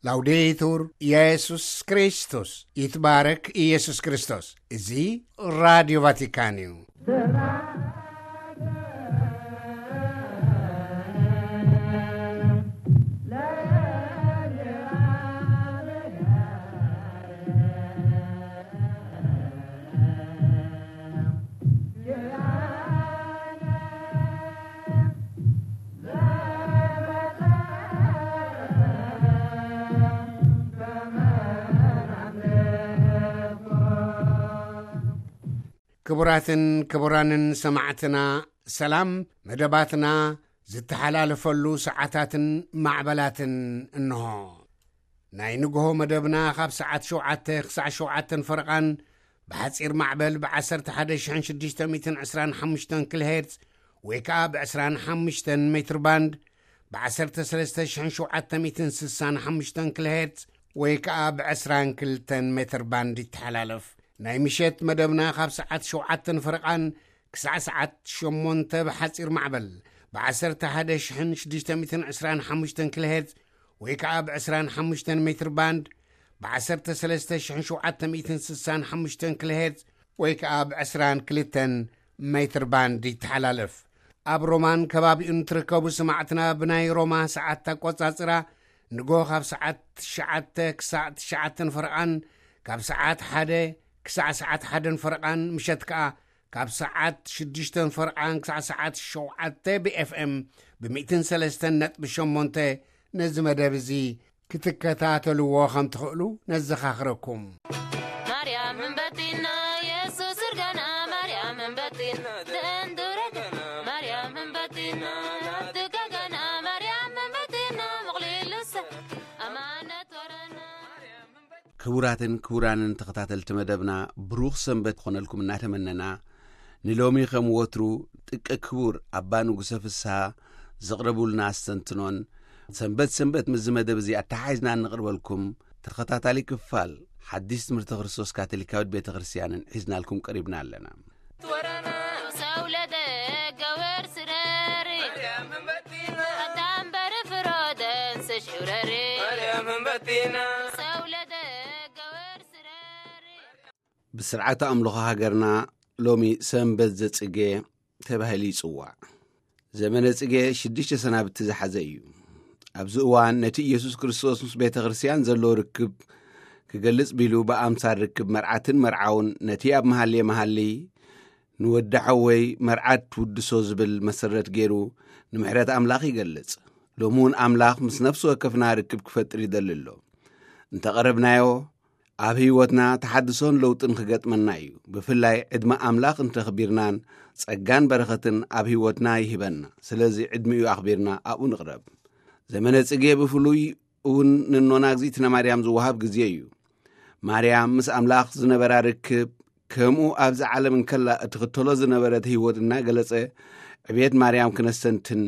ላውዴቱር ኢየሱስ ክርስቶስ፣ ይትባረክ ኢየሱስ ክርስቶስ። እዚ ራዲዮ ቫቲካን እዩ። ክቡራትን ክቡራንን ሰማዕትና፣ ሰላም። መደባትና ዝተሓላለፈሉ ሰዓታትን ማዕበላትን እንሆ። ናይ ንግሆ መደብና ካብ ሰዓት ሸውዓተ ክሳዕ ሸውዓተን ፈረቓን ብሓጺር ማዕበል ብ11,625 ኪሎ ሄርዝ ወይ ከኣ ብ25 ሜትር ባንድ ብ ዓሰርተ ሰለስተ ሽሕን ሸውዓተ ሚእትን ስሳን ሓሙሽተን ኪሎ ሄርዝ ወይ ከኣ ብ ዕስራን ክልተን ሜትር ባንድ ይተሓላለፍ። ናይ ምሸት መደብና ካብ ሰዓት ሸውዓተን ፈረቓን ክሳዕ ሰዓት ሸሞንተ ብሓጺር ማዕበል ብ11,625 ኪሎ ሄርዝ ወይ ከኣ ብ ዕስራን ሓሙሽተን ሜትር ባንድ ብ13,765 ኪሎ ሄርዝ ወይ ከኣ ብ ዕስራን ክልተን ሜትር ባንድ ይተሓላለፍ። ኣብ ሮማን ከባቢኡን ትርከቡ ሰማዕትና፣ ብናይ ሮማ ሰዓት ኣቆጻጽራ ንጎ ካብ ሰዓት ትሽዓተ ክሳዕ ትሽዓተን ፈረቓን፣ ካብ ሰዓት ሓደ ክሳዕ ሰዓት ሓደን ፈረቓን፣ ምሸት ከኣ ካብ ሰዓት ሽዱሽተን ፈረቓን ክሳዕ ሰዓት ሸውዓተ ብ ኤፍ ኤም ብ ሚእትን ሰለስተን ነጥቢ ሸሞንተ ነዚ መደብ እዚ ክትከታተልዎ ከም ትኽእሉ ነዘኻኽረኩም። ማርያም እምበቲና የሱስ እርጋና፣ ማርያም እምበቲና ደንዱረገ፣ ማርያም እምበቲና ናትጋጋና፣ ማርያም እምበቲና ምቕሊሉሰ ኣማነት ወረና። ክቡራትን ክቡራንን ተኸታተልቲ መደብና፣ ብሩኽ ሰንበት ክኾነልኩም እናተመነና፣ ንሎሚ ከም ወትሩ ጥቀ ክቡር ኣባ ንጉሰ ፍስሃ ዘቕረቡልና ኣስተንትኖን፣ ሰንበት ሰንበት ምስዚ መደብ እዚ ኣተሓሒዝና እንቕርበልኩም ተኸታታሊ ክፋል ሓዲስ ትምህርቲ ክርስቶስ ካቶሊካዊት ቤተ ክርስቲያንን ሒዝናልኩም ቀሪብና ኣለና። ወረና ሰውለደ ገወር ስረሪ፣ ኣታምበር ፍሮደን ስሽውረሪ። ሰውለደ ገወር ስረሪ። ብስርዓተ ኣምልኾ ሃገርና ሎሚ ሰንበት ዘጽጌ ተባሂሉ ይጽዋዕ። ዘመነ ጽጌ ሽዱሽተ ሰናብቲ ዝሓዘ እዩ። ኣብዚ እዋን ነቲ ኢየሱስ ክርስቶስ ምስ ቤተ ክርስቲያን ዘለዎ ርክብ ክገልጽ ቢሉ ብኣምሳል ርክብ መርዓትን መርዓውን ነቲ ኣብ መሃልየ መሃሊ ንወዲ ሓወይ መርዓት ትውድሶ ዝብል መሰረት ገይሩ ንምሕረት ኣምላኽ ይገልጽ። ሎሚ እውን ኣምላኽ ምስ ነፍሲ ወከፍና ርክብ ክፈጥር ይደሊ ኣሎ። እንተቐረብናዮ ኣብ ህይወትና ተሓድሶን ለውጥን ክገጥመና እዩ። ብፍላይ ዕድመ ኣምላኽ እንተኽቢርናን ጸጋን በረኸትን ኣብ ህይወትና ይህበና። ስለዚ ዕድሚኡ ኣኽቢርና ኣብኡ ንቕረብ። ዘመነ ጽጌ ብፍሉይ እውን ንኖና እግዚኣብእነ ማርያም ዝወሃብ ግዜ እዩ። ማርያም ምስ ኣምላኽ ዝነበራ ርክብ ከምኡ ኣብዚ ዓለም እንከላ እትኽተሎ ዝነበረት ህይወት እናገለጸ ዕብየት ማርያም ክነስተንትን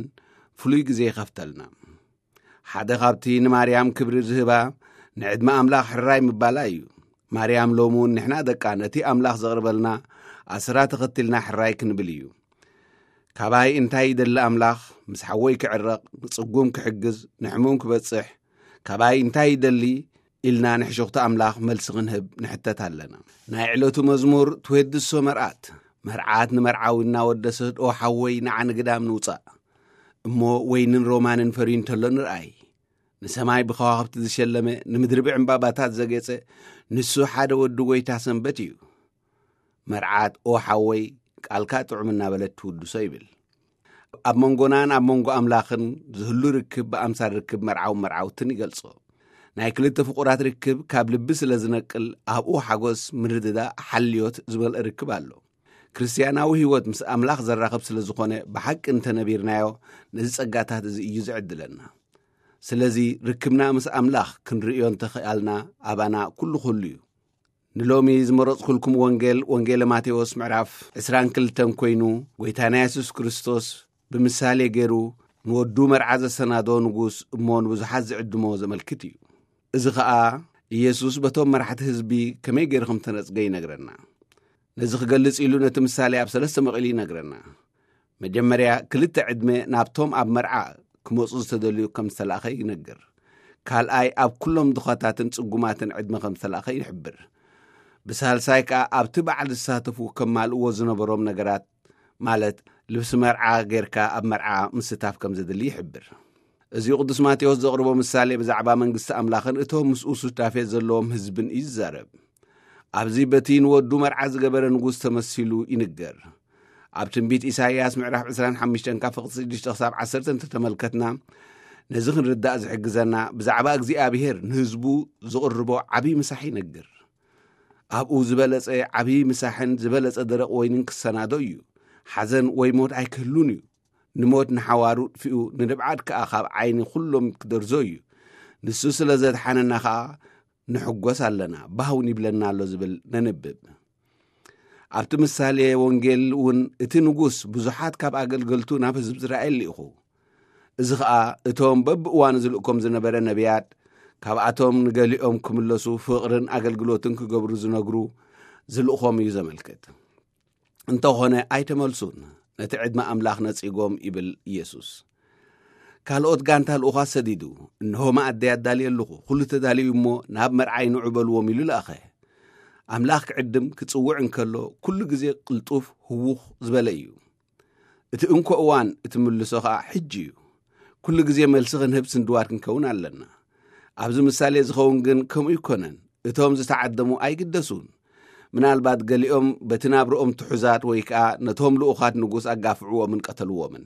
ፍሉይ ግዜ ይኸፍተልና። ሓደ ካብቲ ንማርያም ክብሪ ዝህባ ንዕድመ ኣምላኽ ሕራይ ምባላ እዩ። ማርያም ሎሚ እውን ንሕና ደቃ ነቲ ኣምላኽ ዘቕርበልና ኣስራ ተኸቲልና ሕራይ ክንብል እዩ። ካባይ እንታይ ይደሊ ኣምላኽ? ምስ ሓወይ ክዕረቕ፣ ንጽጉም ክሕግዝ፣ ንሕሙም ክበጽሕ ካባይ እንታይ ይደሊ? ኢልና ንሕሹኽቲ ኣምላኽ መልሲ ክንህብ ንሕተት ኣለና። ናይ ዕለቱ መዝሙር ትዌድሶ መርዓት፣ መርዓት ንመርዓዊ እናወደሰት፣ "ኦ ሓወይ፣ ንዓ ንግዳም ንውጻእ እሞ ወይንን ሮማንን ፈርዩ እንተሎ ንርኣይ። ንሰማይ ብከዋኽብቲ ዝሸለመ፣ ንምድሪ ብዕምባባታት ዘጌጸ፣ ንሱ ሓደ ወዲ ጐይታ ሰንበት እዩ። መርዓት፣ ኦ ሓወይ፣ ቃልካ ጥዑም እናበለት ትውድሶ" ይብል። ኣብ መንጎናን ኣብ መንጎ ኣምላኽን ዝህሉ ርክብ ብኣምሳል ርክብ መርዓውን መርዓውትን ይገልጾ። ናይ ክልተ ፍቑራት ርክብ ካብ ልቢ ስለ ዝነቅል፣ ኣብኡ ሓጎስ፣ ምርድዳእ፣ ሓልዮት ዝመልአ ርክብ ኣሎ። ክርስትያናዊ ህይወት ምስ ኣምላኽ ዘራኽብ ስለ ዝኾነ፣ ብሓቂ እንተነቢርናዮ፣ ነዚ ጸጋታት እዚ እዩ ዝዕድለና። ስለዚ፣ ርክብና ምስ ኣምላኽ ክንርእዮ እንተኸኣልና፣ ኣባና ኩሉ ኩሉ እዩ። ንሎሚ ዝመረጽኩልኩም ወንጌል፣ ወንጌለ ማቴዎስ ምዕራፍ ዕስራን ክልተን ኮይኑ፣ ጐይታና የሱስ ክርስቶስ ብምሳሌ ገይሩ ንወዱ መርዓ ዘሰናዶ ንጉስ እሞ ንብዙሓት ዝዕድሞ ዘመልክት እዩ። እዚ ኸኣ ኢየሱስ በቶም መራሕቲ ህዝቢ ከመይ ገይሩ ከም ተነጽገ ይነግረና። ነዚ ክገልጽ ኢሉ ነቲ ምሳሌ ኣብ ሰለስተ መቒሉ ይነግረና። መጀመርያ ክልተ ዕድመ ናብቶም ኣብ መርዓ ክመጹ ዝተደልዩ ከም ዝተላእኸ ይነግር። ካልኣይ ኣብ ኩሎም ድኻታትን ጽጉማትን ዕድመ ከም ዝተላእኸ ይሕብር። ብሳልሳይ ከኣ ኣብቲ በዓል ዝሳተፉ ከማልእዎ ዝነበሮም ነገራት፣ ማለት ልብሲ መርዓ ጌርካ ኣብ መርዓ ምስታፍ ከም ዘድሊ ይሕብር። እዚ ቅዱስ ማቴዎስ ዘቕርቦ ምሳሌ ብዛዕባ መንግስቲ ኣምላኽን እቶም ምስኡ ሱታፌ ዘለዎም ህዝብን እዩ ዝዛረብ። ኣብዚ በቲ ንወዱ መርዓ ዝገበረ ንጉስ ተመሲሉ ይንገር። ኣብ ትንቢት ኢሳይያስ ምዕራፍ ዕስራን ሓሙሽተን ካብ ፍቕዲ ሽዱሽተ ክሳብ ዓሰርተ እንተተመልከትና፣ ነዚ ክንርዳእ ዝሕግዘና ብዛዕባ እግዚኣብሔር ንህዝቡ ዝቕርቦ ዓብዪ ምሳሕ ይነግር። ኣብኡ ዝበለጸ ዓብዪ ምሳሕን ዝበለጸ ደረቕ ወይንን ክሰናዶ እዩ። ሓዘን ወይ ሞት ኣይክህሉን እዩ። ንሞት ንሓዋሩ ጥፊኡ፣ ንንብዓት ከኣ ካብ ዓይኒ ኩሎም ክደርዞ እዩ። ንሱ ስለ ዘድሓነና ከኣ ንሕጎስ ኣለና፣ ባህውን ይብለና ኣሎ ዝብል ነንብብ። ኣብቲ ምሳሌ ወንጌል እውን እቲ ንጉስ ብዙሓት ካብ ኣገልገልቱ ናብ ህዝቢ እስራኤል ልኢኹ። እዚ ኸኣ እቶም በብእዋኑ ዝልእኮም ዝነበረ ነቢያት፣ ካብኣቶም ንገሊኦም ክምለሱ ፍቕርን ኣገልግሎትን ክገብሩ ዝነግሩ ዝልእኾም እዩ ዘመልክት። እንተኾነ ኣይተመልሱን፣ ነቲ ዕድመ ኣምላኽ ነጺጎም ይብል ኢየሱስ። ካልኦት ጋንታ ልኡኻት ሰዲዱ፣ እንሆ መኣደይ ኣዳልየ ኣለኹ፣ ኩሉ ተዳልዩ እሞ ናብ መርዓይ ንዑ በልዎም ኢሉ ለኣኸ። ኣምላኽ ክዕድም ክጽውዕ እንከሎ ኩሉ ግዜ ቅልጡፍ ህውኽ ዝበለ እዩ። እቲ እንኮ እዋን እቲ ምልሶ ኸኣ ሕጂ እዩ። ኩሉ ግዜ መልሲ ክንህብ ስንድዋት ክንከውን ኣለና። ኣብዚ ምሳሌ ዝኸውን ግን ከምኡ ኣይኮነን። እቶም ዝተዓደሙ ኣይግደሱን። ምናልባት ገሊኦም በቲ ናብርኦም ትሑዛት ወይ ከኣ ነቶም ልኡኻት ንጉስ ኣጋፍዕዎምን ቀተልዎምን።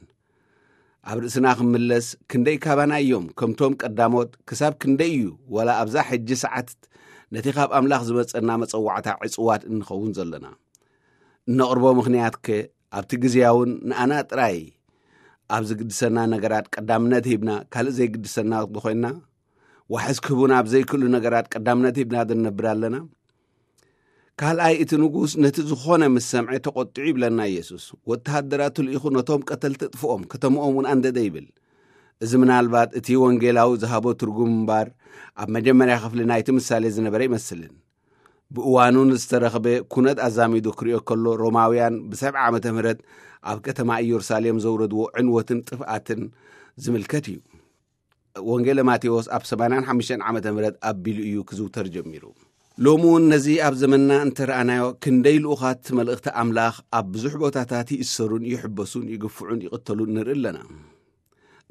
ኣብ ርእስና ክምለስ ክንደይ ካባና እዮም ከምቶም ቀዳሞት ክሳብ ክንደይ እዩ ዋላ ኣብዛ ሕጂ ሰዓት ነቲ ካብ ኣምላኽ ዝመጸና መጸዋዕታ ዕጽዋት እንኸውን ዘለና። እነቕርቦ ምኽንያትከ ኣብቲ ግዜያውን ንኣና ጥራይ ኣብ ዝግድሰና ነገራት ቀዳምነት ሂብና ካልእ ዘይግድሰና ዶ ኮይንና? ዋሕስ ክህቡና ኣብ ዘይክእሉ ነገራት ቀዳምነት ሂብና ዶ ንነብር ኣለና? ካልኣይ እቲ ንጉስ ነቲ ዝኾነ ምስ ሰምዐ ተቖጢዑ ይብለና ኢየሱስ። ወተሃደራቱ ልኢኹ ነቶም ቀተልቲ ጥፍኦም፣ ከተምኦም እውን ኣንደደ ይብል። እዚ ምናልባት እቲ ወንጌላዊ ዝሃቦ ትርጉም እምበር ኣብ መጀመርያ ክፍሊ ናይቲ ምሳሌ ዝነበረ ኣይመስልን። ብእዋኑ ንዝተረኽበ ኩነት ኣዛሚዱ ክርእዮ ከሎ ሮማውያን ብሰብዓ ዓመተ ምህረት ኣብ ከተማ ኢየሩሳሌም ዘውረድዎ ዕንወትን ጥፍኣትን ዝምልከት እዩ። ወንጌለ ማቴዎስ ኣብ ሰማንያን ሓሙሽተን ዓመተ ምህረት ኣቢሉ እዩ ክዝውተር ጀሚሩ። ሎሚ እውን ነዚ ኣብ ዘመንና እንተረኣናዮ ክንደይ ልኡኻት መልእኽቲ ኣምላኽ ኣብ ብዙሕ ቦታታት ይእሰሩን ይሕበሱን ይግፍዑን ይቕተሉን ንርኢ ኣለና።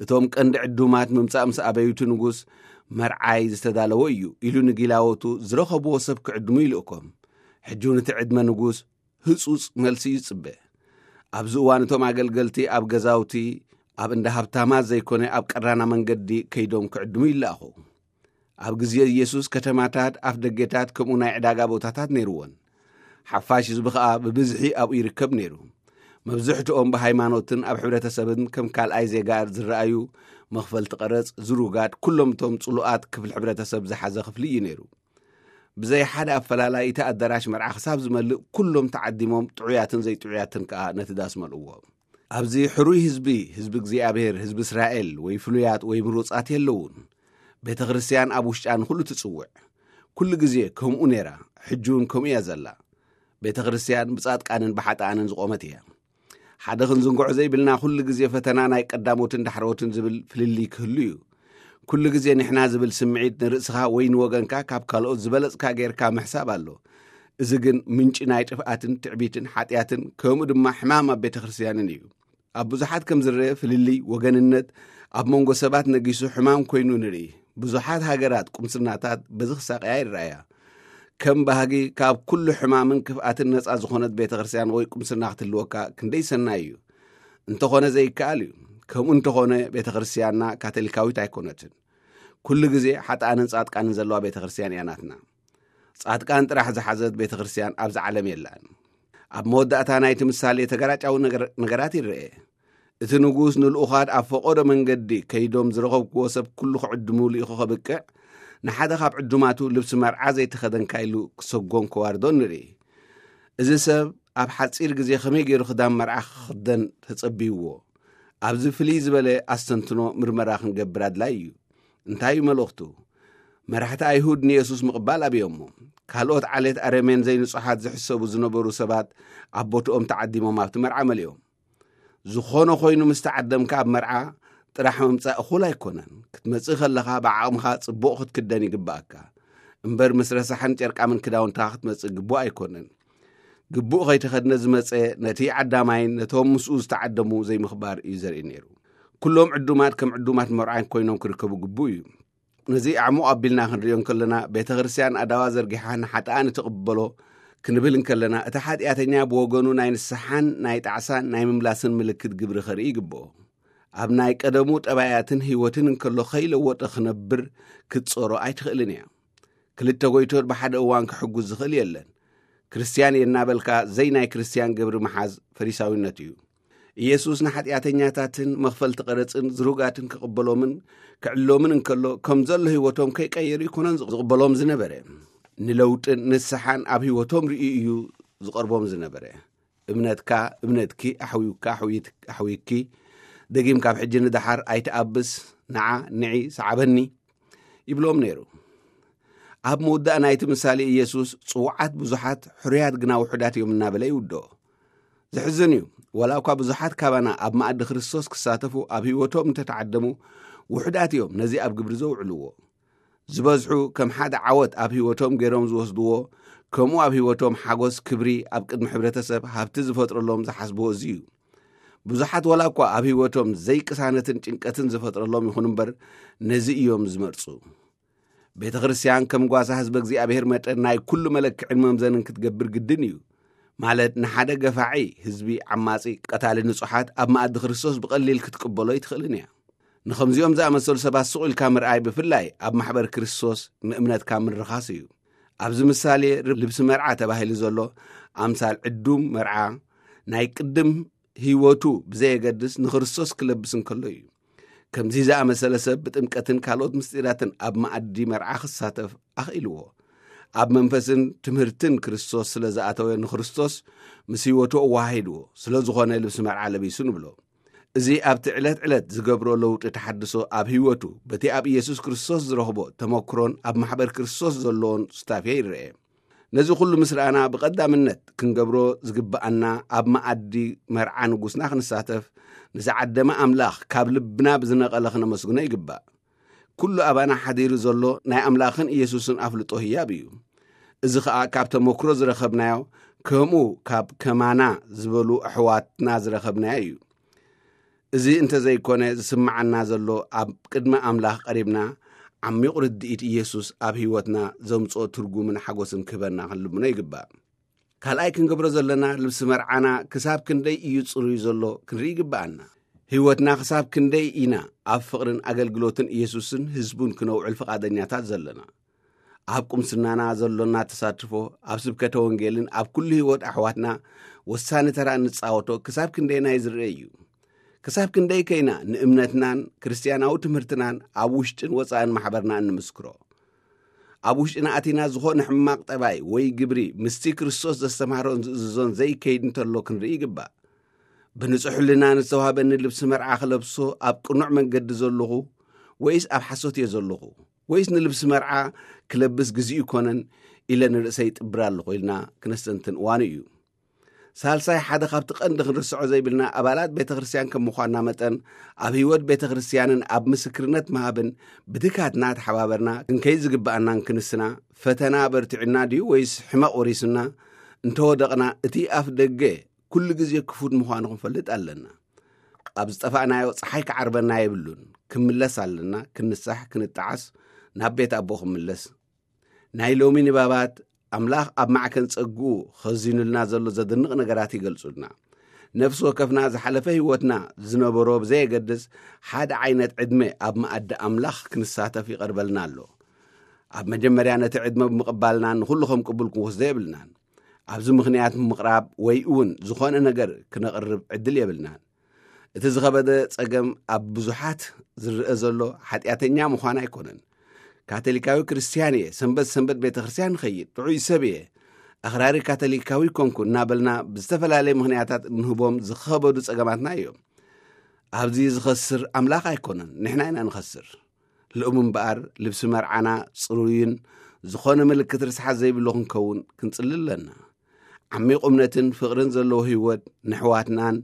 እቶም ቀንዲ ዕዱማት ምምጻእ ምስ ኣበዩቲ ንጉስ መርዓይ ዝተዳለወ እዩ ኢሉ ንጊላዎቱ ዝረኸብዎ ሰብ ክዕድሙ ይልእኮም። ሕጂ እውን እቲ ዕድመ ንጉስ ህጹጽ መልሲ ይጽበ። ኣብዚ እዋን እቶም ኣገልገልቲ ኣብ ገዛውቲ ኣብ እንዳ ሃብታማት ዘይኮነ ኣብ ቀራና መንገዲ ከይዶም ክዕድሙ ይለኣኹ። ኣብ ግዜ ኢየሱስ ከተማታት ኣፍ ደጌታት ከምኡ ናይ ዕዳጋ ቦታታት ነይርወን። ሓፋሽ ህዝቢ ኸኣ ብብዝሒ ኣብኡ ይርከብ ነይሩ። መብዝሕትኦም ብሃይማኖትን ኣብ ሕብረተሰብን ከም ካልኣይ ዜጋ ዝረኣዩ፣ መኽፈልቲ ቀረጽ፣ ዝሩጋት፣ ኩሎም እቶም ጽሉኣት ክፍሊ ሕብረተሰብ ዝሓዘ ክፍሊ እዩ ነይሩ። ብዘይ ሓደ ኣፈላላይ እቲ ኣዳራሽ መርዓ ክሳብ ዝመልእ ኩሎም ተዓዲሞም ጥዑያትን ዘይጥዑያትን ከኣ ነቲ ዳስ መልእዎ። ኣብዚ ሕሩይ ህዝቢ፣ ህዝቢ እግዚኣብሔር፣ ህዝቢ እስራኤል ወይ ፍሉያት ወይ ምሩጻት የለውን። ቤተ ክርስቲያን ኣብ ውሽጣ ንኹሉ ትጽውዕ። ኩሉ ግዜ ከምኡ ነይራ፣ ሕጂ እውን ከምኡ እያ ዘላ። ቤተ ክርስቲያን ብጻድቃንን ብሓጥኣንን ዝቖመት እያ። ሓደ ክንዝንግዖ ዘይብልና ኩሉ ግዜ ፈተና ናይ ቀዳሞትን ዳሕረዎትን ዝብል ፍልልይ ክህሉ እዩ። ኩሉ ግዜ ንሕና ዝብል ስምዒት ንርእስኻ ወይ ንወገንካ ካብ ካልኦት ዝበለጽካ ጌርካ ምሕሳብ ኣሎ። እዚ ግን ምንጪ ናይ ጥፍኣትን ትዕቢትን ሓጢኣትን ከምኡ ድማ ሕማም ኣብ ቤተ ክርስቲያንን እዩ። ኣብ ብዙሓት ከም ዝረአ ፍልልይ ወገንነት ኣብ መንጎ ሰባት ነጊሱ ሕማም ኮይኑ ንርኢ። ብዙሓት ሃገራት ቁምስናታት በዚ ክሳቀያ ይረኣያ። ከም ባህጊ ካብ ኩሉ ሕማምን ክፍኣትን ነጻ ዝኾነት ቤተ ክርስቲያን ወይ ቁምስና ክትህልወካ ክንደይ ሰናይ እዩ። እንተኾነ ዘይከኣል እዩ። ከምኡ እንተኾነ ቤተ ክርስቲያንና ካቶሊካዊት ኣይኮነትን። ኩሉ ግዜ ሓጥኣንን ጻድቃንን ዘለዋ ቤተ ክርስቲያን እያ ናትና። ጻድቃን ጥራሕ ዝሓዘት ቤተ ክርስቲያን ኣብዚ ዓለም የላን። ኣብ መወዳእታ ናይቲ ምሳሌ ተገራጫዊ ነገር-፣ ነገራት ይረአ። እቲ ንጉስ ንልኡኻት ኣብ ፈቐዶ መንገዲ ከይዶም ዝረኸብክዎ ሰብ ኩሉ ክዕድሙ ልኢኹ ከብቅዕ፣ ንሓደ ካብ ዕዱማቱ ልብሲ መርዓ ዘይተኸደንካ ኢሉ ክሰጎን ከዋርዶን ንርኢ። እዚ ሰብ ኣብ ሓጺር ግዜ ከመይ ገይሩ ክዳን መርዓ ክኽደን ተጸብይዎ? ኣብዚ ፍልይ ዝበለ ኣስተንትኖ ምርመራ ክንገብር ኣድላይ እዩ። እንታይ እዩ መልእኽቱ? መራሕቲ ኣይሁድ ንየሱስ ምቕባል ኣብዮሞ። ካልኦት ዓሌት ኣረሜን ዘይንጹሓት ዝሕሰቡ ዝነበሩ ሰባት ኣብ ቦትኦም ተዓዲሞም ኣብቲ መርዓ መሊኦም። ዝኾነ ኮይኑ ምስ ተዓደምካ ኣብ መርዓ ጥራሕ ምምጻእ እኹል ኣይኮነን። ክትመጽእ ከለኻ ብዓቕምኻ ጽቡቕ ክትክደን ይግብኣካ። እምበር ምስ ረሳሕን ጨርቃምን ክዳውንትኻ ክትመጽእ ግቡእ ኣይኮነን። ግቡእ ከይተኸድነ ዝመጸ ነቲ ዓዳማይን ነቶም ምስኡ ዝተዓደሙ ዘይምኽባር እዩ ዘርኢ ነይሩ። ኩሎም ዕዱማት ከም ዕዱማት መርዓን ኮይኖም ክርከቡ ግቡእ እዩ። ነዚ ኣዕሙቕ ኣቢልና ክንሪኦ እንከለና፣ ቤተ ክርስቲያን ኣዳዋ ዘርጊሓ ንሓጥኣን እትቕበሎ ክንብል እንከለና፣ እቲ ሓጢኣተኛ ብወገኑ ናይ ንስሓን ናይ ጣዕሳን ናይ ምምላስን ምልክት ግብሪ ከርኢ ይግብኦ። ኣብ ናይ ቀደሙ ጠባያትን ህይወትን እንከሎ ከይለወጠ ክነብር ክትጾሮ ኣይትኽእልን እያ። ክልተ ጎይቶት ብሓደ እዋን ክሕጉዝ ዝኽእል የለን። ክርስትያን እየ እናበልካ ዘይ ናይ ክርስትያን ግብሪ ምሓዝ ፈሪሳዊነት እዩ። ኢየሱስ ንሓጢኣተኛታትን መኽፈልቲ ቀረጽን ዝሩጋትን ክቕበሎምን ክዕሎምን እንከሎ፣ ከም ዘሎ ህይወቶም ከይቀየሩ ኣይኮነን ዝቕበሎም ዝነበረ። ንለውጥን ንስሓን ኣብ ህይወቶም ርእዩ እዩ ዝቐርቦም ዝነበረ። እምነትካ፣ እምነትኪ ኣሕውዩካ፣ ኣሕውይት-፣ ኣሕውይኪ፣ ደጊም ካብ ሕጂ ንደሓር ኣይትኣብስ፣ ንዓ፣ ንዒ፣ ሰዓበኒ ይብሎም ነይሩ። ኣብ መወዳእ ናይቲ ምሳሌ ኢየሱስ፣ ጽዉዓት ብዙሓት፣ ሕሩያት ግና ውሑዳት እዮም እናበለ ይውድኦ። ዘሕዝን እዩ። ዋላ እኳ ብዙሓት ካባና ኣብ መኣዲ ክርስቶስ ክሳተፉ ኣብ ህይወቶም እንተተዓደሙ፣ ውሑዳት እዮም ነዚ ኣብ ግብሪ ዘውዕልዎ። ዝበዝሑ ከም ሓደ ዓወት ኣብ ህይወቶም ገይሮም ዝወስድዎ፣ ከምኡ ኣብ ህይወቶም ሓጎስ፣ ክብሪ፣ ኣብ ቅድሚ ሕብረተሰብ ሃብቲ ዝፈጥረሎም ዝሓስብዎ እዚ እዩ። ብዙሓት ዋላ እኳ ኣብ ህይወቶም ዘይቅሳነትን ጭንቀትን ዝፈጥረሎም ይኹን እምበር፣ ነዚ እዮም ዝመርጹ። ቤተ ክርስቲያን ከም ጓሳ ህዝበ እግዚኣብሔር መጠን ናይ ኩሉ መለክዕን መምዘንን ክትገብር ግድን እዩ። ማለት ንሓደ ገፋዒ ህዝቢ ዓማጺ ቀታሊ ንጹሓት ኣብ መኣዲ ክርስቶስ ብቐሊል ክትቅበሎ ኣይትኽእልን እያ። ንኸምዚኦም ዝኣመሰሉ ሰባት ስቕ ኢልካ ምርኣይ ብፍላይ ኣብ ማሕበር ክርስቶስ ንእምነትካ ምርኻስ እዩ። ኣብዚ ምሳሌ ልብሲ መርዓ ተባሂሉ ዘሎ ኣምሳል ዕዱም መርዓ ናይ ቅድም ህይወቱ ብዘየገድስ ንክርስቶስ ክለብስ እንከሎ እዩ። ከምዚ ዝኣመሰለ ሰብ ብጥምቀትን ካልኦት ምስጢራትን ኣብ መኣዲ መርዓ ክሳተፍ ኣኽኢልዎ። ኣብ መንፈስን ትምህርትን ክርስቶስ ስለ ዝኣተወ ንክርስቶስ ምስ ህይወቱ ኣወሃሂድዎ። ስለ ዝኾነ ልብሲ መርዓ ለቢሱ ንብሎ። እዚ ኣብቲ ዕለት ዕለት ዝገብሮ ለውጢ ተሓድሶ ኣብ ህይወቱ በቲ ኣብ ኢየሱስ ክርስቶስ ዝረኽቦ ተመክሮን ኣብ ማሕበር ክርስቶስ ዘለዎን ሱታፌ ይረአ። ነዚ ኩሉ ምስ ረኣና ብቐዳምነት ክንገብሮ ዝግብኣና ኣብ መኣዲ መርዓ ንጉስና ክንሳተፍ ንዝዓደመ ኣምላኽ ካብ ልብና ብዝነቐለ ክነመስግኖ ይግባእ። ኩሉ ኣባና ሓዲሩ ዘሎ ናይ ኣምላኽን ኢየሱስን ኣፍልጦ ህያብ እዩ። እዚ ኸኣ ካብ ተመክሮ ዝረኸብናዮ ከምኡ ካብ ከማና ዝበሉ ኣሕዋትና ዝረኸብናዮ እዩ። እዚ እንተዘይኮነ ዝስምዓና ዘሎ ኣብ ቅድሚ ኣምላኽ ቀሪብና ዓሚቕ ርድኢት ኢየሱስ ኣብ ህይወትና ዘምጽኦ ትርጉምን ሓጎስን ክህበና ክንልምኖ ይግባእ። ካልኣይ ክንገብሮ ዘለና ልብሲ መርዓና ክሳብ ክንደይ እዩ ጽሩይ ዘሎ ክንርኢ ይግብኣና። ህይወትና ክሳብ ክንደይ ኢና ኣብ ፍቕርን ኣገልግሎትን ኢየሱስን ህዝቡን ክነውዕል ፍቓደኛታት ዘለና። ኣብ ቁምስናና ዘሎና ተሳትፎ ኣብ ስብከተ ወንጌልን ኣብ ኩሉ ህይወት ኣሕዋትና ወሳኒ ተራ እንጻወቶ ክሳብ ክንደይናይ ዝረአ እዩ። ክሳብ ክንደይ ከይና ንእምነትናን ክርስትያናዊ ትምህርትናን ኣብ ውሽጥን ወጻእን ማሕበርና እንምስክሮ። ኣብ ውሽጥና ኣቲና ዝኾነ ሕማቕ ጠባይ ወይ ግብሪ ምስቲ ክርስቶስ ዘስተምሃሮን ዝእዝዞን ዘይከይድ እንተሎ ክንርኢ ይግባእ። ብንጹሕ ሕልና ንዝተዋህበኒ ልብሲ መርዓ ክለብሶ ኣብ ቅኑዕ መንገዲ ዘለኹ ወይስ ኣብ ሓሶት እየ ዘለኹ? ወይስ ንልብሲ መርዓ ክለብስ ግዜኡ ይኮነን ኢለ ንርእሰይ ይጥብር ኣለኹ ኢልና ክነስተንትን እዋኑ እዩ። ሳልሳይ ሓደ ካብቲ ቀንዲ ክንርስዖ ዘይብልና ኣባላት ቤተ ክርስቲያን ከም ምዃንና መጠን ኣብ ህይወት ቤተ ክርስቲያንን ኣብ ምስክርነት ምሃብን ብድካትና ተሓባበርና ክንከይድ ዝግብኣናን ክንስና ፈተና በርቲዑና ድዩ ወይስ ሕመቕ ወሪሱና እንተወደቕና እቲ ኣፍ ደገ ኩሉ ግዜ ክፉት ምዃኑ ክንፈልጥ ኣለና። ኣብ ዝጠፋእናዮ ጸሓይ ክዓርበና የብሉን። ክንምለስ ኣለና፣ ክንሳሕ፣ ክንጠዓስ፣ ናብ ቤት ኣቦ ክንምለስ። ናይ ሎሚ ንባባት ኣምላኽ ኣብ ማዕከን ጸግኡ ኸዚኑልና ዘሎ ዘደንቕ ነገራት ይገልጹልና። ነፍሲ ወከፍና ዝሓለፈ ህይወትና ዝነበሮ ብዘየገድስ ሓደ ዓይነት ዕድመ ኣብ መኣዲ ኣምላኽ ክንሳተፍ ይቐርበልና ኣሎ። ኣብ መጀመርያ ነቲ ዕድመ ብምቕባልና ንኹሉ ከም ቅቡል ክንወስዶ የብልናን። ኣብዚ ምኽንያት ምቕራብ ወይ እውን ዝኾነ ነገር ክነቕርብ ዕድል የብልናን። እቲ ዝኸበደ ጸገም ኣብ ብዙሓት ዝረአ ዘሎ ሓጢኣተኛ ምዃን ኣይኮነን። ካቶሊካዊ ክርስትያን እየ፣ ሰንበት ሰንበት ቤተ ክርስትያን ንኸይድ፣ ጥዑይ ሰብ እየ፣ ኣኽራሪ ካቶሊካዊ ኮንኩ እናበልና ብዝተፈላለየ ምኽንያታት እንህቦም ዝኸበዱ ጸገማትና እዮም። ኣብዚ ዝኸስር ኣምላኽ ኣይኮነን፣ ንሕና ኢና ንኸስር። ልኡም እምበኣር ልብሲ መርዓና ጽሩይን ዝኾነ ምልክት ርስሓት ዘይብሉ ክንከውን ክንጽሊ ኣለና። ዓሚቕ እምነትን ፍቕርን ዘለዎ ህይወት ንሕዋትናን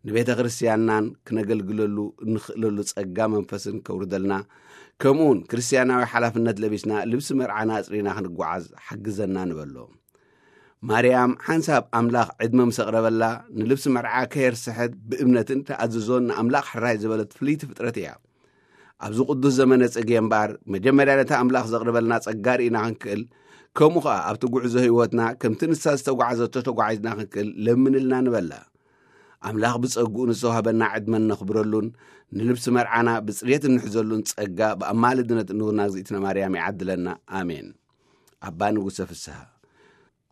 ንቤተ ክርስቲያንናን ክነገልግለሉ እንኽእለሉ ጸጋ መንፈስን ከውርደልና፣ ከምኡውን ክርስቲያናዊ ሓላፍነት ለቢስና ልብሲ መርዓና ኣጽሪና ክንጓዓዝ ሓግዘና ንበሎ። ማርያም ሓንሳብ ኣምላኽ ዕድመ ምስ ኣቕረበላ፣ ንልብሲ መርዓ ከየርስሐት ብእምነትን ተኣዝዞን ንኣምላኽ ሕራይ ዝበለት ፍልይቲ ፍጥረት እያ። ኣብዚ ቅዱስ ዘመነ ጽጌ እምበኣር፣ መጀመርያ ነቲ ኣምላኽ ዘቕርበልና ጸጋ ርኢና ክንክእል፣ ከምኡ ኸኣ ኣብቲ ጉዕዞ ህይወትና ከምቲ ንሳ ዝተጓዓዘቶ ተጓዒዝና ክንክእል ለምንልና ንበላ። ኣምላኽ ብጸግኡ ንዝተዋህበና ዕድመን ነኽብረሉን ንልብሲ መርዓና ብጽሬት እንሕዘሉን ጸጋ ብኣማልድነት እንውና እግዝእትነ ማርያም ይዓድለና። ኣሜን። ኣባ ንጉሰ ፍስሃ።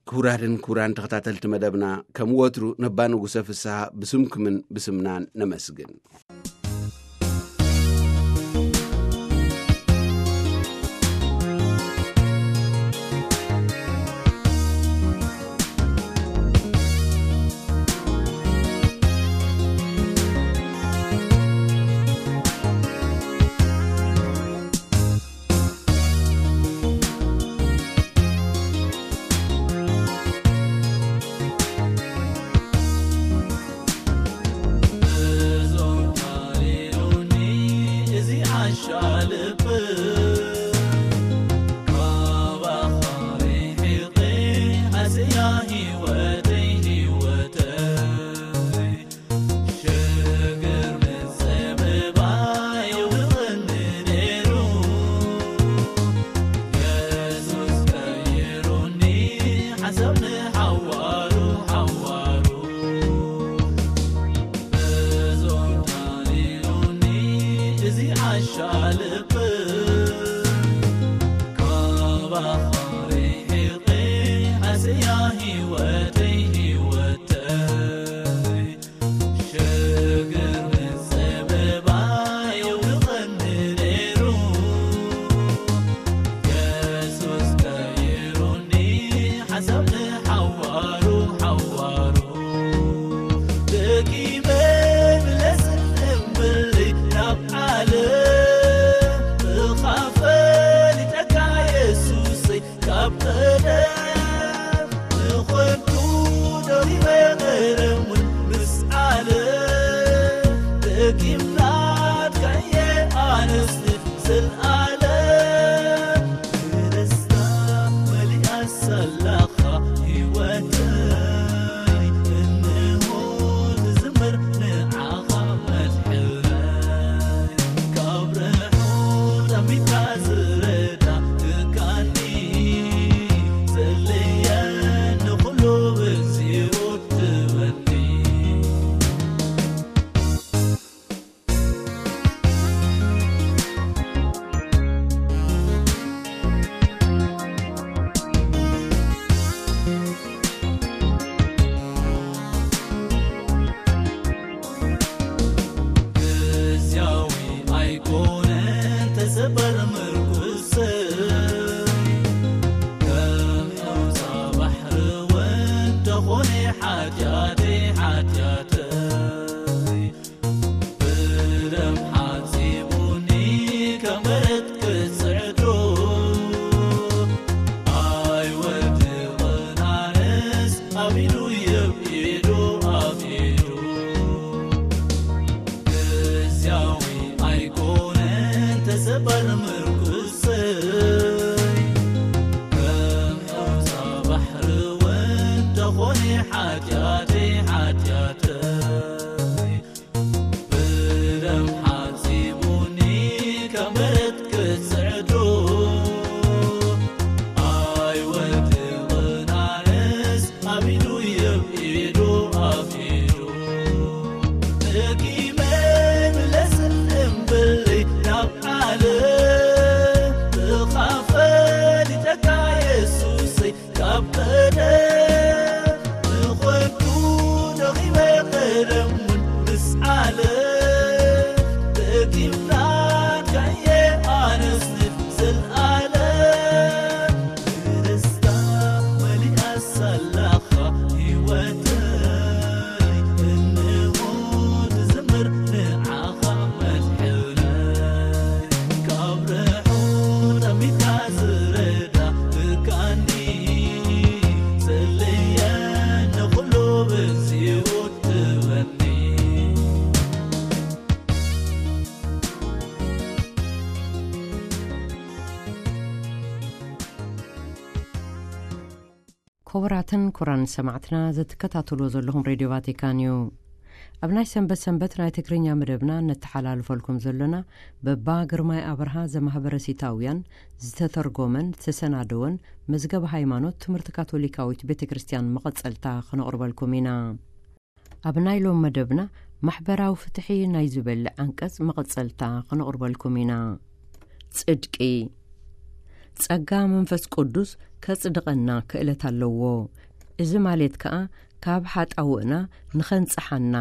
ክቡራትን ክቡራን ተኸታተልቲ መደብና፣ ከም ወትሩ ነባ ንጉሰ ፍስሃ ብስምኩምን ብስምናን ነመስግን። ክቡራትን ክቡራን ሰማዕትና፣ ዘትከታተልዎ ዘለኹም ሬድዮ ቫቲካን እዩ። ኣብ ናይ ሰንበት ሰንበት ናይ ትግርኛ መደብና ነተሓላልፈልኩም ዘሎና፣ በባ ግርማይ ኣብርሃ ዘማህበረሲታውያን ዝተተርጎመን ዝተሰናደወን መዝገብ ሃይማኖት ትምህርቲ ካቶሊካዊት ቤተ ክርስቲያን መቐጸልታ ክነቕርበልኩም ኢና። ኣብ ናይ ሎም መደብና፣ ማሕበራዊ ፍትሒ ናይ ዝበል ዓንቀጽ መቐጸልታ ክነቕርበልኩም ኢና። ጽድቂ። ጸጋ መንፈስ ቅዱስ ከጽድቐና ክእለት ኣለዎ። እዚ ማለት ከኣ፣ ካብ ሓጣውእና ንኸንጽሓና፣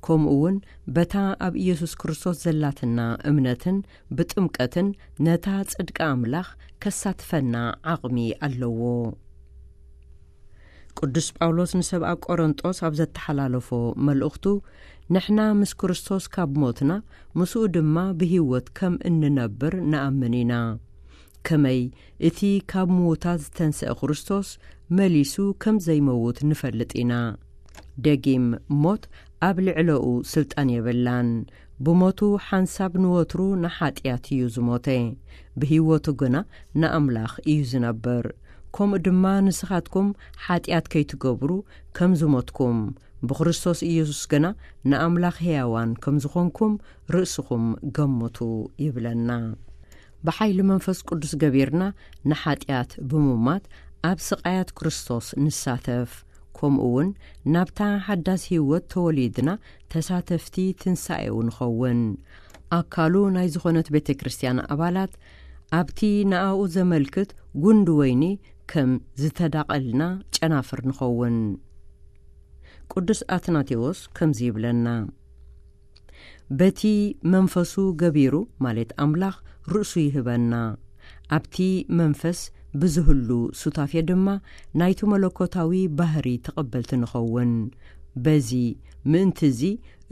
ከምኡ እውን በታ ኣብ ኢየሱስ ክርስቶስ ዘላትና እምነትን ብጥምቀትን ነታ ጽድቂ ኣምላኽ ከሳትፈና ዓቕሚ ኣለዎ። ቅዱስ ጳውሎስ ንሰብ ኣብ ቆሮንጦስ ኣብ ዘተሓላለፎ መልእኽቱ፣ ንሕና ምስ ክርስቶስ ካብ ሞትና፣ ምስኡ ድማ ብህይወት ከም እንነብር ንኣምን ኢና። ከመይ እቲ ካብ ምዉታት ዝተንስአ ክርስቶስ መሊሱ ከም ዘይመውት ንፈልጥ ኢና። ደጊም ሞት ኣብ ልዕለኡ ስልጣን የብላን። ብሞቱ ሓንሳብ ንወትሩ ንሓጢኣት እዩ ዝሞተ። ብህይወቱ ግና ንኣምላኽ እዩ ዝነብር። ከምኡ ድማ ንስኻትኩም ሓጢኣት ከይትገብሩ ከም ዝሞትኩም፣ ብክርስቶስ ኢየሱስ ግና ንኣምላኽ ሕያዋን ከም ዝኾንኩም ርእስኹም ገምቱ ይብለና። ብሓይሊ መንፈስ ቅዱስ ገቢርና ንሓጢኣት ብምማት ኣብ ስቓያት ክርስቶስ ንሳተፍ። ከምኡ እውን ናብታ ሓዳስ ህይወት ተወሊድና ተሳተፍቲ ትንሳኤኡ ንኸውን። ኣካሉ ናይ ዝኾነት ቤተ ክርስቲያን ኣባላት ኣብቲ ንኣኡ ዘመልክት ጉንዲ ወይኒ ከም ዝተዳቐልና ጨናፍር ንኸውን። ቅዱስ ኣትናቴዎስ ከምዚ ይብለና፣ በቲ መንፈሱ ገቢሩ፣ ማለት ኣምላኽ ርእሱ ይህበና። ኣብቲ መንፈስ ብዝህሉ ሱታፌ ድማ ናይቲ መለኮታዊ ባህሪ ተቐበልቲ ንኸውን። በዚ ምእንቲ እዚ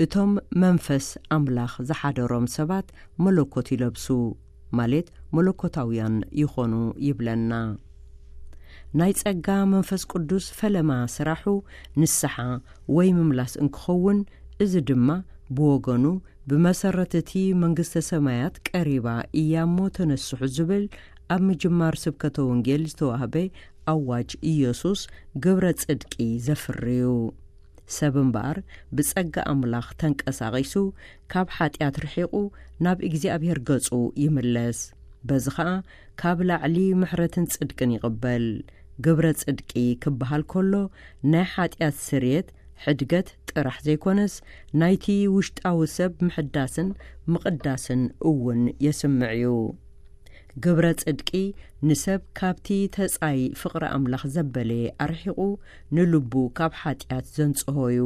እቶም መንፈስ ኣምላኽ ዝሓደሮም ሰባት መለኮት ይለብሱ፣ ማለት መለኮታውያን ይኾኑ ይብለና። ናይ ጸጋ መንፈስ ቅዱስ ፈለማ ስራሑ ንስሓ ወይ ምምላስ እንክኸውን፣ እዚ ድማ ብወገኑ ብመሰረት እቲ መንግስተ ሰማያት ቀሪባ እያ እሞ ተነስሑ ዝብል ኣብ ምጅማር ስብከተ ወንጌል ዝተዋህበ ኣዋጅ ኢየሱስ ግብረ ጽድቂ ዘፍርዩ። ሰብ እምበኣር ብጸጋ ኣምላኽ ተንቀሳቒሱ ካብ ሓጢኣት ርሒቑ ናብ እግዚኣብሔር ገጹ ይምለስ። በዚ ኸኣ ካብ ላዕሊ ምሕረትን ጽድቅን ይቕበል። ግብረ ጽድቂ ክበሃል ከሎ ናይ ሓጢኣት ስርየት፣ ሕድገት ጥራሕ ዘይኮነስ ናይቲ ውሽጣዊ ሰብ ምሕዳስን ምቕዳስን እውን የስምዕ እዩ። ግብረ ጽድቂ ንሰብ ካብቲ ተጻይ ፍቕሪ ኣምላኽ ዘበለ ኣርሒቑ ንልቡ ካብ ሓጢኣት ዘንጽሆ እዩ።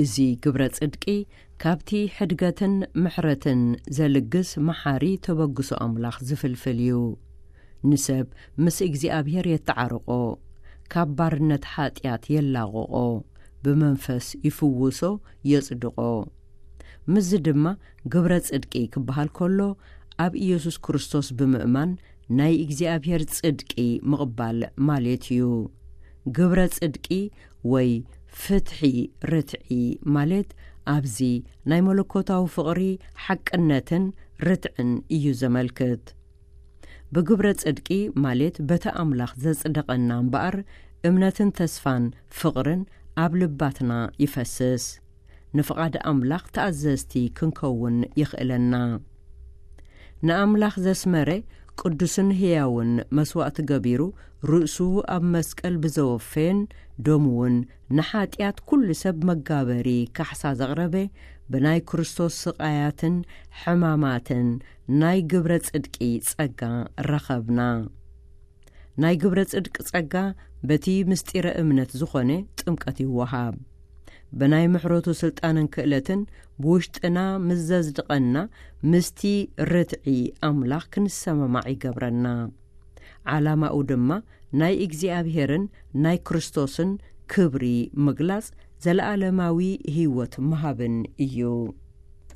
እዚ ግብረ ጽድቂ ካብቲ ሕድገትን ምሕረትን ዘልግስ መሓሪ ተበግሶ ኣምላኽ ዝፍልፍል እዩ። ንሰብ ምስ እግዚኣብሔር የተዓርቆ፣ ካብ ባርነት ሓጢኣት የላቕቖ፣ ብመንፈስ ይፍውሶ፣ የጽድቖ። ምስዚ ድማ ግብረ ጽድቂ ክበሃል ከሎ ኣብ ኢየሱስ ክርስቶስ ብምእማን ናይ እግዚኣብሔር ጽድቂ ምቕባል ማለት እዩ። ግብረ ጽድቂ ወይ ፍትሒ ርትዒ ማለት ኣብዚ ናይ መለኮታዊ ፍቕሪ ሓቅነትን ርትዕን እዩ ዘመልክት። ብግብረ ጽድቂ ማለት በቲ ኣምላኽ ዘጽደቐና እምበኣር እምነትን ተስፋን ፍቕርን ኣብ ልባትና ይፈስስ። ንፍቓድ ኣምላኽ ተኣዘዝቲ ክንከውን የኽእለና። ንኣምላኽ ዘስመረ ቅዱስን ህያውን መስዋእቲ ገቢሩ ርእሱ ኣብ መስቀል ብዘወፈየን ደሙ እውን ንሓጢኣት ኩሉ ሰብ መጋበሪ ካሕሳ ዘቕረበ ብናይ ክርስቶስ ስቓያትን ሕማማትን ናይ ግብረ ጽድቂ ጸጋ ረኸብና። ናይ ግብረ ጽድቂ ጸጋ በቲ ምስጢረ እምነት ዝኾነ ጥምቀት ይወሃብ። ብናይ ምሕረቱ ስልጣንን ክእለትን ብውሽጥና ምስ ዘጽድቐና ምስቲ ርትዒ ኣምላኽ ክንሰማማዕ ይገብረና። ዓላማኡ ድማ ናይ እግዚኣብሔርን ናይ ክርስቶስን ክብሪ ምግላጽ ዘለኣለማዊ ህይወት ምሃብን እዩ።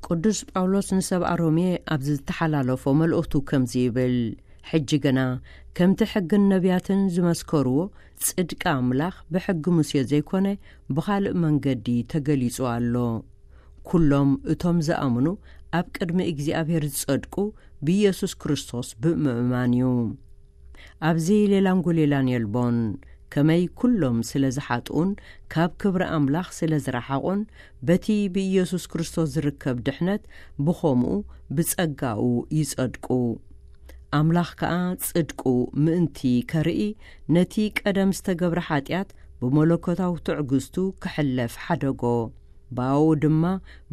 ቅዱስ ጳውሎስ ንሰብኣ ሮሜ ኣብ ዝተሓላለፎ መልእኽቱ ከምዚ ይብል፣ ሕጂ ግና ከምቲ ሕግን ነቢያትን ዝመስከርዎ ጽድቂ ኣምላኽ ብሕጊ ሙሴ ዘይኮነ ብኻልእ መንገዲ ተገሊጹ ኣሎ። ኩሎም እቶም ዝኣምኑ ኣብ ቅድሚ እግዚኣብሔር ዝጸድቁ ብኢየሱስ ክርስቶስ ብምእማን እዩ። ኣብዚ ሌላን ጉሌላን የልቦን። ከመይ ኩሎም ስለ ዝሓጥኡን ካብ ክብሪ ኣምላኽ ስለ ዝረሓቑን፣ በቲ ብኢየሱስ ክርስቶስ ዝርከብ ድሕነት ብኸምኡ ብጸጋኡ ይጸድቁ። ኣምላኽ ከኣ ጽድቁ ምእንቲ ከርኢ፣ ነቲ ቀደም ዝተገብረ ሓጢኣት ብመለኮታዊ ትዕግስቱ ክሕለፍ ሓደጎ። ብኣኡ ድማ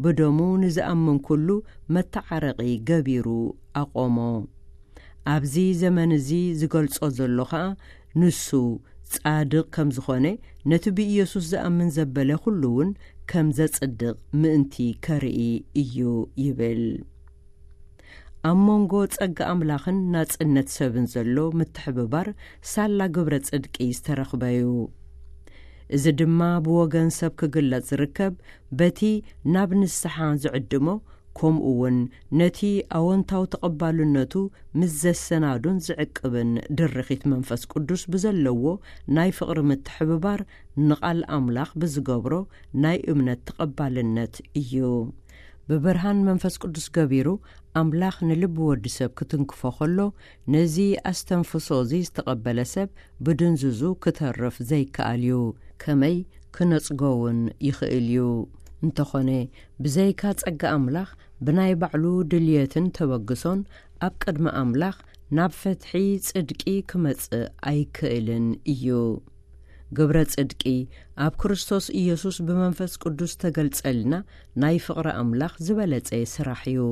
ብደሙ ንዝኣምን ኩሉ መተዓረቒ ገቢሩ ኣቖሞ። ኣብዚ ዘመን እዚ ዝገልጾ ዘሎ ኸኣ፣ ንሱ ጻድቕ ከም ዝኾነ፣ ነቲ ብኢየሱስ ዝኣምን ዘበለ ኩሉ እውን ከም ዘጽድቕ ምእንቲ ከርኢ እዩ ይብል። ኣብ መንጎ ጸጋ ኣምላኽን ናጽነት ሰብን ዘሎ ምትሕብባር ሳላ ግብረ ጽድቂ ዝተረኽበ እዩ። እዚ ድማ ብወገን ሰብ ክግለጽ ዝርከብ በቲ ናብ ንስሓ ዝዕድሞ፣ ከምኡ እውን ነቲ ኣወንታዊ ተቐባልነቱ ምስ ዘሰናዱን ዝዕቅብን ድርኺት መንፈስ ቅዱስ ብዘለዎ ናይ ፍቕሪ ምትሕብባር ንቓል ኣምላኽ ብዝገብሮ ናይ እምነት ተቐባልነት እዩ። ብብርሃን መንፈስ ቅዱስ ገቢሩ ኣምላኽ ንልቢ ወዲ ሰብ ክትንክፎ ከሎ፣ ነዚ ኣስተንፍሶ እዚ ዝተቐበለ ሰብ ብድንዙዙ ክተርፍ ዘይከኣል እዩ። ከመይ ክነጽጎ እውን ይኽእል እዩ። እንተኾነ፣ ብዘይካ ጸጋ ኣምላኽ ብናይ ባዕሉ ድልየትን ተበግሶን ኣብ ቅድሚ ኣምላኽ ናብ ፍትሒ ጽድቂ ክመጽእ ኣይክእልን እዩ። ግብረ ጽድቂ ኣብ ክርስቶስ ኢየሱስ ብመንፈስ ቅዱስ ተገልጸልና ናይ ፍቕሪ ኣምላኽ ዝበለጸ ስራሕ እዩ።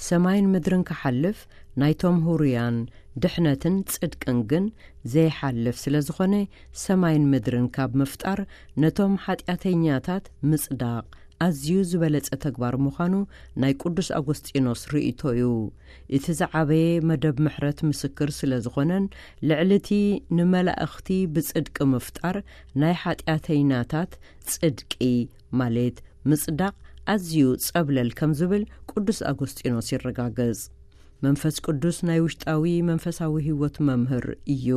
ሰማይን ምድርን ክሓልፍ፣ ናይቶም ህሩያን ድሕነትን ጽድቅን ግን ዘይሓልፍ ስለ ዝኾነ፣ ሰማይን ምድርን ካብ ምፍጣር ነቶም ሓጢኣተኛታት ምጽዳቕ ኣዝዩ ዝበለጸ ተግባር ምዃኑ ናይ ቅዱስ ኣጎስጢኖስ ርእይቶ እዩ። እቲ ዝዓበየ መደብ ምሕረት ምስክር ስለ ዝኾነን፣ ልዕሊ እቲ ንመላእኽቲ ብጽድቂ ምፍጣር፣ ናይ ሓጢኣተኛታት ጽድቂ ማለት ምጽዳቕ ኣዝዩ ጸብለል ከም ዝብል ቅዱስ ኣጎስጢኖስ ይረጋገጽ። መንፈስ ቅዱስ ናይ ውሽጣዊ መንፈሳዊ ህይወት መምህር እዩ።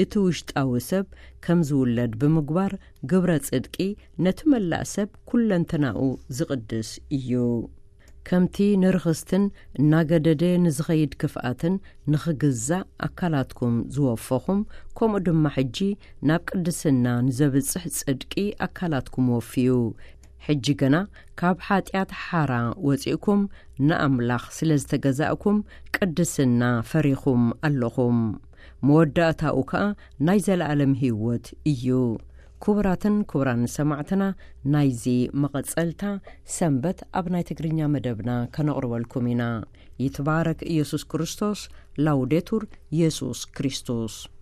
እቲ ውሽጣዊ ሰብ ከም ዝውለድ ብምግባር፣ ግብረ ጽድቂ ነቲ መላእ ሰብ ኩለንተናኡ ዝቕድስ እዩ። ከምቲ ንርኽስትን እናገደደ ንዝኸይድ ክፍኣትን ንኽግዛእ ኣካላትኩም ዝወፈኹም፣ ከምኡ ድማ ሕጂ ናብ ቅድስና ንዘብጽሕ ጽድቂ ኣካላትኩም ወፍዩ። ሕጂ ግና ካብ ሓጢኣት ሓራ ወጺእኩም ንኣምላኽ ስለ ዝተገዛእኩም፣ ቅድስና ፈሪኹም ኣለኹም። መወዳእታኡ ከኣ ናይ ዘለኣለም ህይወት እዩ። ክቡራትን ክቡራን ሰማዕትና፣ ናይዚ መቐጸልታ ሰንበት ኣብ ናይ ትግርኛ መደብና ከነቕርበልኩም ኢና። ይትባረክ ኢየሱስ ክርስቶስ። ላውዴቱር ኢየሱስ ክርስቶስ።